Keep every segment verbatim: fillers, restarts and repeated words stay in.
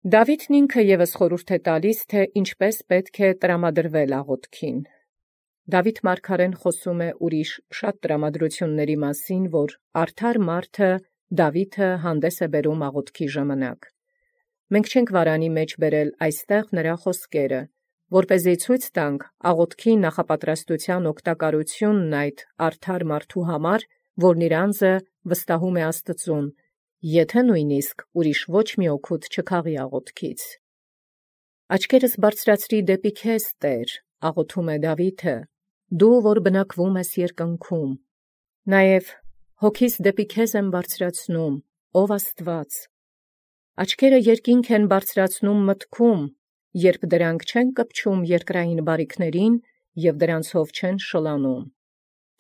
Դաւիթն ինքը եւս խորհուրդ է տալիս, թէ ինչպէս պետք է տրամադրվել աղոթքին։ Դաւիթ մարգարեն խոսում է ուրիշ շատ տրամադրությունների մասին, որ արդար մարդը Դաւիթը հանդես է բերում աղոթքի ժամանակ։ Մենք չենք վարանի մեջ բերել այստեղ նրա խոսքերը, որպեսզի ցույց տանք աղոթքի նախապատրաստության օգտակարությունն այդ արդար մարդու համար, որն իր անձը վստահում է Աստծուն, եթե նույնիսկ ուրիշ ոչ մի օգուտ չքաղի աղոթքից։ Աչքերս բարձրացրի դեպի քեզ, Տեր, աղոթում է Դաւիթը, դու որ բնակվում ես երկնքում։ Նաև հոգիս դեպի քեզ եմ բարձրացնում, ով Աստված։ Աչքերը երկինք են բարձրացնում մտքում, երբ դրանք չեն կպչում երկրային բարիքներին և դրանցով չեն շլանում։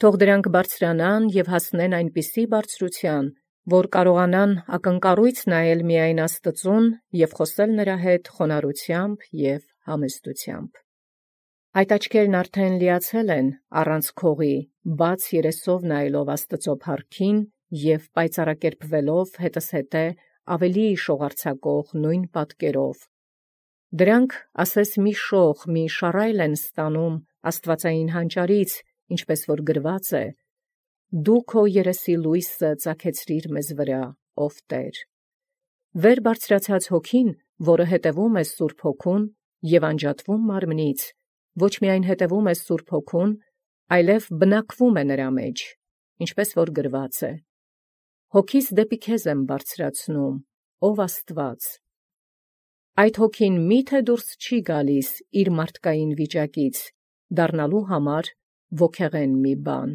Թող դրանք բարձրանան և հասնեն այնպիսի բարձրութեան, որ կարողանան ակնկառույց նայել միայն Աստծուն և խոսել նրա հետ խոնարհությամբ և համեստությամբ։ Այդ աչքերն արդեն լիացել են առանց քողի, բաց երեսով նայելով Աստծո փառքին և պայծառակերպվելով հետզհետե ավելի շողարձակող նույն պատկերով։ Դրանք ասես մի շող, մի շառայլ են ստանում աստվածային հանճարից, ինչպես որ գրված է. «Դու քո երեսի լույսը ծագեցրիր մեզ վրա, ով Տեր»։ Վեր բարձրացած հոգին, որը հետևում է Սուրբ Հոգուն և անջատվում մարմնից, ոչ միայն հետևում է Սուրբ Հոգուն, այլև բնակվում է նրա մեջ, ինչպես որ գրված է. «Հոգիս դեպի քեզ եմ բարձրացնում, ով Աստված»։ Այդ հոգին մի՞թե դուրս չի գալիս իր մարդկային վիճակից, դառնալու համար ոգեղեն մի բան։